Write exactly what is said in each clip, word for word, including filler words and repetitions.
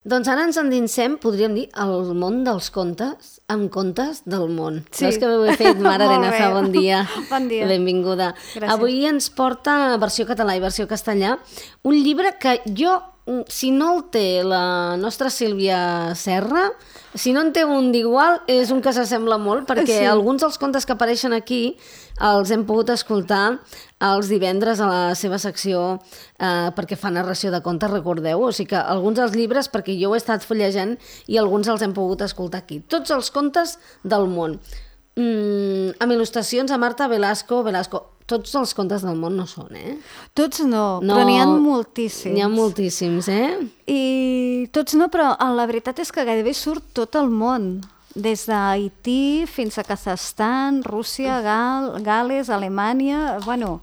Doncs ara ens endinsem, podríem dir, al món dels contes, amb contes del món. Sí. Veus que ho he fet, Mare Arenaza, bon dia. Bon dia. Benvinguda. Gràcies. Avui ens porta versió català i versió castellà un llibre que jo, si no el té la nostra Sílvia Serra, si no en té un d'igual, és un que s'assembla molt, perquè Sí. alguns dels contes que apareixen aquí els hem pogut escoltar els divendres a la seva secció eh, perquè fa narració de contes, recordeu? O sigui que alguns dels llibres, perquè jo ho he estat fullejant i alguns els hem pogut escoltar aquí. Tots els contes del món. Mm, amb il·lustracions a Marta Velasco. Velasco. Tots els contes del món no són, eh? Tots no, No, però n'hi ha moltíssims. N'hi ha moltíssims, eh? I tots no, però la veritat és que gairebé surt tot el món. Des d'Haití fins a Kazakhstan, Rússia, Gal, Gales, Alemanya, bueno,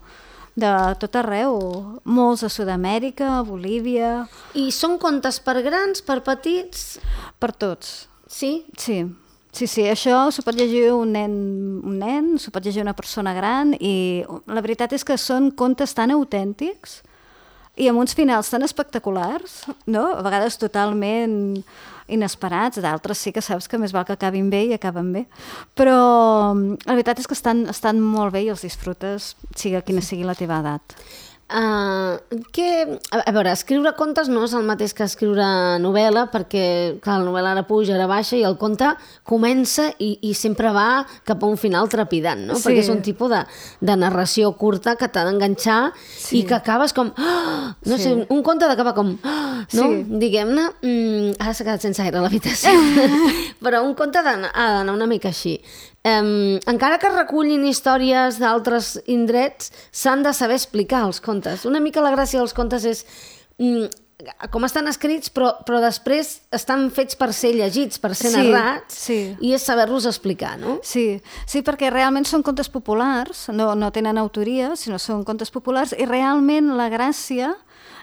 de tot arreu. Molts a Sud-amèrica, Bolívia, I són contes per grans, per petits? per tots. Sí? Sí, sí, sí, això s'ho pot llegir un nen, un nen, s'ho pot llegir una persona gran i la veritat és que són contes tan autèntics i amb uns finals tan espectaculars, no? A vegades totalment inesperats, d'altres sí que saps que més val que acabin bé i acaben bé, però la veritat és que estan, estan molt bé i els disfrutes, sigui quina sigui la teva edat. Uh, que, a, a veure, escriure contes no és el mateix que escriure novel·la, perquè clar, la novel·la ara puja, ara baixa i el conte comença i, i sempre va cap a un final trepidant, no? Sí. Perquè és un tipus de, de narració curta que t'ha d'enganxar Sí. i que acabes com oh! no Sí. sé, un conte d'acaba com oh! no? Sí. Diguem-ne, mm, ara s'ha quedat sense aire a l'habitació però un conte ha d'anar, ha d'anar una mica així. Um, encara que recullin històries d'altres indrets, s'han de saber explicar els contes. Una mica la gràcia dels contes és mm, com estan escrits, però, però després estan fets per ser llegits, per ser Sí, narrats, sí. i és saber-los explicar, no? Sí, sí, perquè realment són contes populars, no, no tenen autoria, sinó són contes populars, i realment la gràcia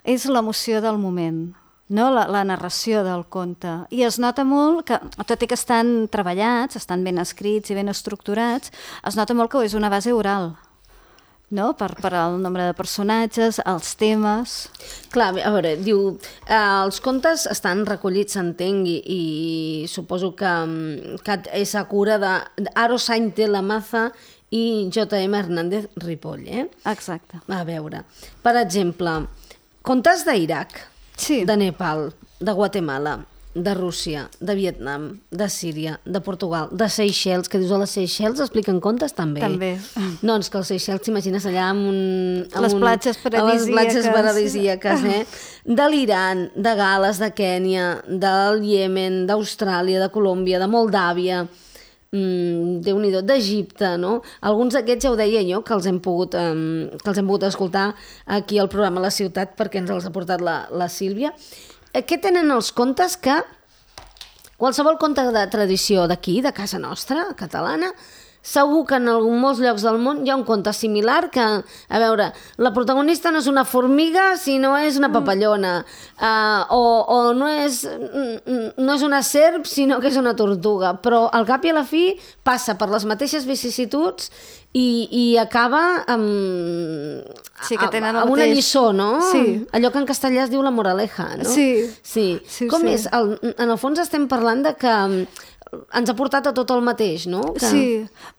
és l'emoció del moment, no? la, la narració del conte. I es nota molt que, tot i que estan treballats, estan ben escrits i ben estructurats, es nota molt que és una base oral, no? Per, per el nombre de personatges, els temes... Clar, a veure, diu, eh, els contes estan recollits, s'entenc, i, i suposo que, mm, que és a cura d'Aro Sainz de la Maza i J M Hernández Ripoll, eh? Exacte. A veure, per exemple, contes d'Iraq, Sí. de Nepal, de Guatemala, de Rússia, de Vietnam, de Síria, de Portugal, de Seychelles, que dius a les Seychelles expliquen contes també. També. No, és que els Seychelles t'imagines allà amb un... amb Les un- platges a les platges paradisíaques. paradisíaques, eh? De l'Iran, de Gal·les, de Kènia, del Iemen, d'Austràlia, de Colòmbia, de Moldàvia, mm, Déu-n'hi-do, d'Egipte, no? Alguns d'aquests ja ho deia jo, que els hem pogut, eh, que els hem pogut escoltar aquí al programa La Ciutat, perquè ens els ha portat la, la Sílvia. Eh, Què tenen els contes que qualsevol conte de tradició d'aquí, de casa nostra, catalana, segur que en algun, molts llocs del món hi ha un conte similar que, a veure, la protagonista no és una formiga, sinó és una papallona, uh, o, o no, és, no és una serp, sinó que és una tortuga, però al cap i a la fi passa per les mateixes vicissituds i, i acaba amb, Sí, que tenen el amb una mateix. lliçó, no? Sí. Allò que en castellà es diu la moraleja, no? Sí. Sí. Sí, Com sí. és? El, en el fons estem parlant de que ens ha portat a tot el mateix, no? Que... Sí,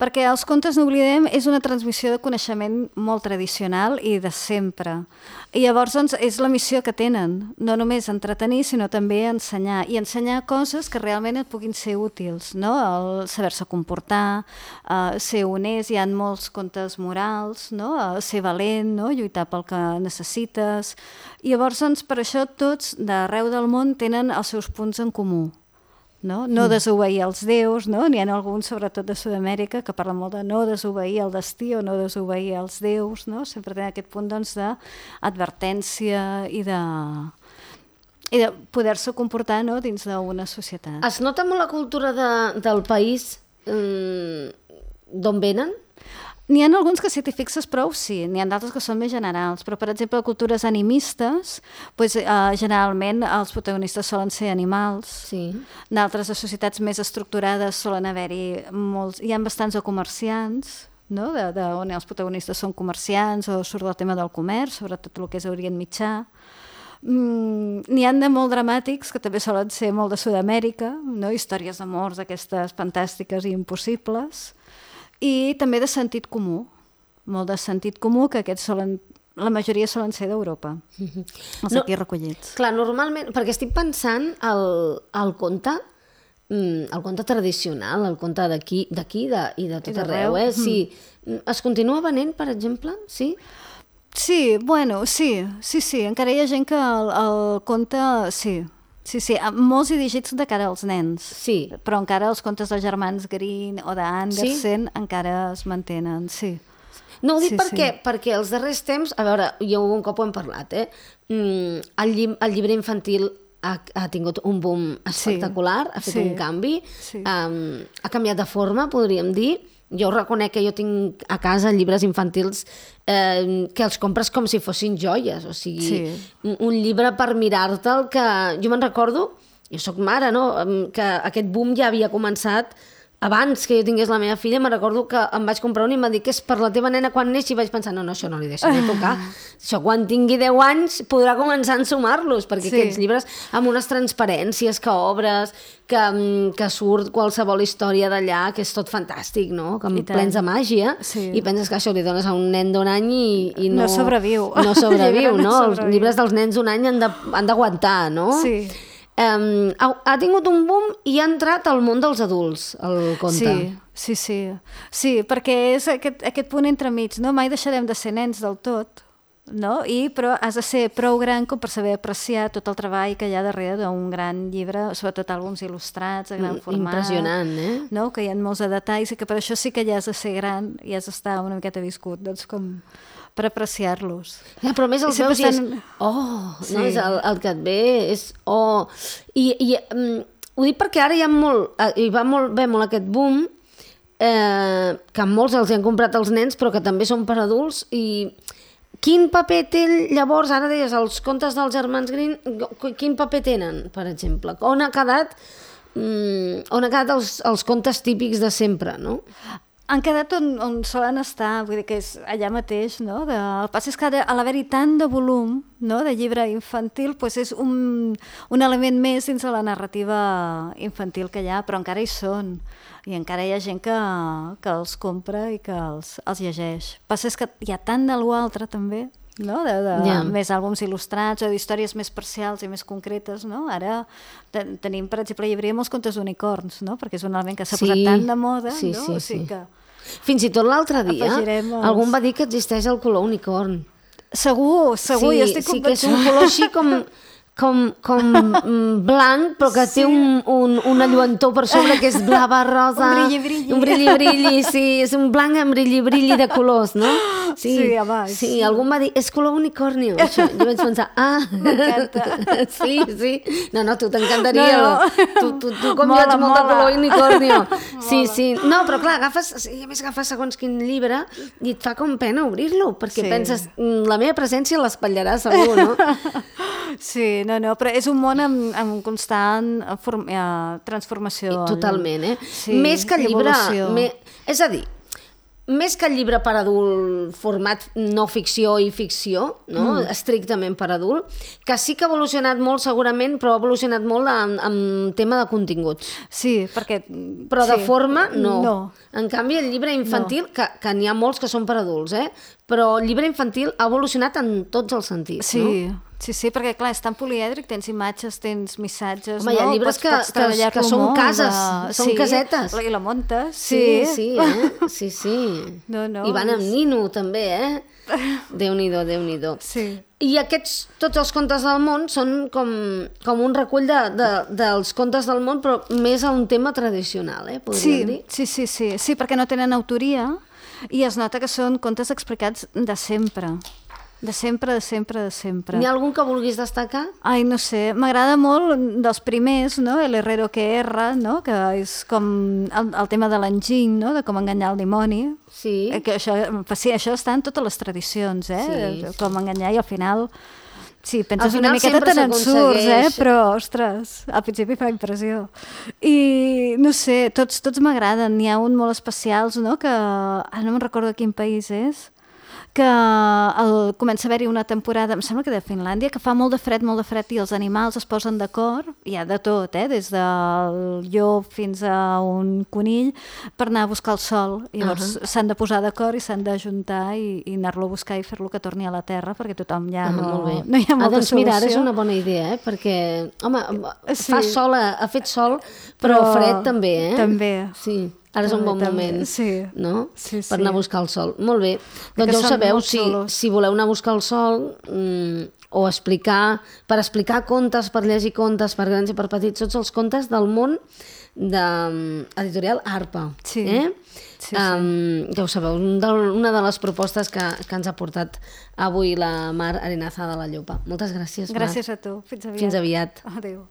perquè els contes no oblidem és una transmissió de coneixement molt tradicional i de sempre. I llavors doncs, és la missió que tenen, no només entretenir, sinó també ensenyar. I ensenyar coses que realment et puguin ser útils, no? El saber-se comportar, uh, ser honest, hi ha molts contes morals, no? Uh, ser valent, no? Lluitar pel que necessites. I llavors, doncs, per això tots d'arreu del món tenen els seus punts en comú. No, no desobeir els déus, no? N'hi ha alguns, sobretot de Sud-amèrica, que parlen molt de no desobeir el destí o no desobeir els déus, no? Sempre tenen aquest punt doncs, d'advertència i de, i de poder-se comportar, no? Dins d'una societat. Es nota molt la cultura de, del país mm, d'on venen? N'hi ha alguns que si t'hi fixes prou, sí. N'hi ha d'altres que són més generals. Però, per exemple, cultures animistes, doncs, eh, generalment els protagonistes solen ser animals. Sí. D'altres de societats més estructurades solen haver-hi molts... Hi ha bastants de comerciants, no? de, de, on els protagonistes són comerciants o surt el tema del comerç, sobretot el que és Orient Mitjà. Mm, n'hi ha de molt dramàtics, que també solen ser molt de Sud-amèrica, no? Històries d'amors aquestes fantàstiques i impossibles, i també de sentit comú, molt de sentit comú, que aquests solen, la majoria solen ser d'Europa, els No, aquí recollits. Clar, normalment, perquè estic pensant el, el conte, mm, el conte tradicional, el conte d'aquí d'aquí de, i de tot I d'arreu. arreu, eh? Sí. Es continua venent, per exemple? Sí? Sí, bueno, sí, sí, sí, encara hi ha gent que el, el conte, sí, sí, sí, molts dirigits de cara als nens, Sí. però encara els contes dels germans Green o d'Andersen encara es mantenen, sí. No ho dic Sí, perquè, sí. perquè els darrers temps, a veure, jo un cop ho hem parlat, eh? Mm, el, lli el llibre infantil ha, ha tingut un boom espectacular, ha fet sí, un canvi, sí. um, ha canviat de forma, podríem dir. Jo reconec que jo tinc a casa llibres infantils eh, que els compres com si fossin joies, o sigui, Sí. un, un llibre per mirar-te'l que... Jo me'n recordo, jo sóc mare, no?, Em, que aquest boom ja havia començat abans que jo tingués la meva filla. Me'n recordo que em vaig comprar un i em va dir que és per la teva nena quan neixi, i vaig pensar, no, no, això no li deixaré tocar. Això quan tingui deu anys podrà començar a ensumar-los, perquè Sí. aquests llibres amb unes transparències que obres, que, mm, que surt qualsevol història d'allà, que és tot fantàstic, no? Que I tant. plens de màgia, Sí. i penses que això li dones a un nen d'un any i, i no... No sobreviu. No El sobreviu, llibre no no? Els sobreviu. llibres dels nens d'un any han de- han d'aguantar, no? Sí. Um, ha, ha tingut un boom i ha entrat al món dels adults, el conte. Sí, sí, sí. Sí, perquè és aquest, aquest punt entremig, no? Mai deixarem de ser nens del tot, no? I, però has de ser prou gran com per saber apreciar tot el treball que hi ha darrere d'un gran llibre, sobretot àlbums il·lustrats, de gran format. Impressionant, eh? No? Que hi ha molts de detalls i que per això sí que ja has de ser gran i has d'estar una miqueta viscut, doncs com per apreciar-los. Ja, però a més els I sempre veus i és... estan- Oh, Sí. no? És el, el que et ve és... Oh. I, i um, ho dic perquè ara hi ha molt... eh, Hi va molt bé molt aquest boom, eh, que molts els hi han comprat els nens, però que també són per adults, i quin paper té llavors, ara deies, els contes dels germans Green, quin paper tenen, per exemple? On ha quedat, mm, on ha quedat els, els contes típics de sempre, no? Han quedat on, on solen estar, vull dir que és allà mateix, no? De, el pas és que ara, a l'haver-hi tant de volum, no?, de llibre infantil, doncs és un, un element més dins de la narrativa infantil que hi ha, però encara hi són. I encara hi ha gent que, que els compra i que els, els llegeix. El pas és que hi ha tant de l'altre, també, no? de, de Ja. més àlbums il·lustrats o d'històries més parcials i més concretes, no? Ara ten tenim, per exemple, llibreria molts contes d'unicorns, no? Perquè és un element que s'ha Sí. posat tant de moda, Sí, no? sí, O sigui sí. que Fins i tot l'altre dia, Afegirem els- algú em va dir que existeix el color unicorn. segur, segur, sí, jo estic sí que és convençuda. un color així com, com, com mm, blanc, però que Sí. té un, un, una lluentor per sobre que és blava, rosa... Un brilli-brilli. Un brilli-brilli, sí, és un blanc amb brilli-brilli de colors, no? Sí, home, Sí, sí. algú em va dir, és color unicorni, això. Jo vaig pensar, ah... M'encanta. Sí, sí. No, no, tu t'encantaria. No, no. Tu, tu, tu com Mola, jo ets molt de mola. color unicorni. Sí, Mola. sí. No, però clar, agafes, i a més agafes segons quin llibre i et fa com pena obrir-lo, perquè Sí. penses, "Mm, la meva presència l'espatllarà segur, no? Sí, no, no, però és un món amb, amb constant form, eh, transformació. Totalment, eh? Sí, Més que el llibre... evolució. Me... És a dir, més que el llibre per adult, format no ficció i ficció, no? Mm. Estrictament per adult, que sí que ha evolucionat molt segurament, però ha evolucionat molt en, en tema de continguts. Sí, perquè... Però de sí. forma, no. No. En canvi, el llibre infantil, no. que, que n'hi ha molts que són per adults, eh? Però el llibre infantil ha evolucionat en tots els sentits, Sí, no? sí, sí, perquè clar, és tan polièdric, tens imatges, tens missatges, Home, hi ha no? llibres Pots- que- pots que- treballar-lo que són molt, cases, de- són casetes. I la muntes, Sí, sí. sí, eh? Sí, sí. No, no, I van amb és- nino, també, eh? Déu-n'hi-do, Déu-n'hi-do. Sí. I aquests, tots els contes del món són com, com un recull de, de, dels contes del món, però més a un tema tradicional, eh? Podríem Sí, dir. sí, sí, sí, sí, perquè no tenen autoria i es nota que són contes explicats de sempre. De sempre, de sempre, de sempre. N'hi ha algun que vulguis destacar? Ai, no sé, m'agrada molt dels primers, no? El Herrero que erra, no? Que és com el, el tema de l'enginy, no? De com enganyar el dimoni. Sí. Eh, Que això, sí, això està en totes les tradicions, eh? Sí. Com enganyar i al final... Sí, penses Al una final miqueta sempre te n'en surts, eh? s'aconsegueix. Però, ostres, al principi fa impressió. I, no sé, tots, tots m'agraden. N'hi ha un molt especials, no? Que, ara no me'n recordo de quin país és, que el, comença a haver-hi una temporada, em sembla que de Finlàndia, que fa molt de fred, molt de fred, i els animals es posen d'acord, hi ha de tot, eh? Des del llop fins a un conill, per anar a buscar el sol. I llavors uh -huh. s'han de posar d'acord i s'han d'ajuntar i, i anar-lo a buscar i fer-lo que torni a la terra, perquè tothom ja no, ah, molt bé. no hi ha molta ah, doncs solució. mira, ara és una bona idea, eh? Perquè, home, sí. fa sol, ha fet sol, però, però fred també, eh? També. Sí. Ara és un bon moment, sí. no? Sí, sí. Per anar a buscar el sol. Molt bé. Doncs ja ho sabeu, si, si voleu anar a buscar el sol mmm, o explicar, per explicar contes, per llegir contes, per grans i per petits, tots els contes del món de editorial Arpa. Sí. Eh? Sí, sí. Um, ja ho sabeu, una de les propostes que, que ens ha portat avui la Mar Arenaza de la Llopa. Moltes gràcies, Mar. Gràcies a tu. Fins aviat. Fins aviat. Adéu.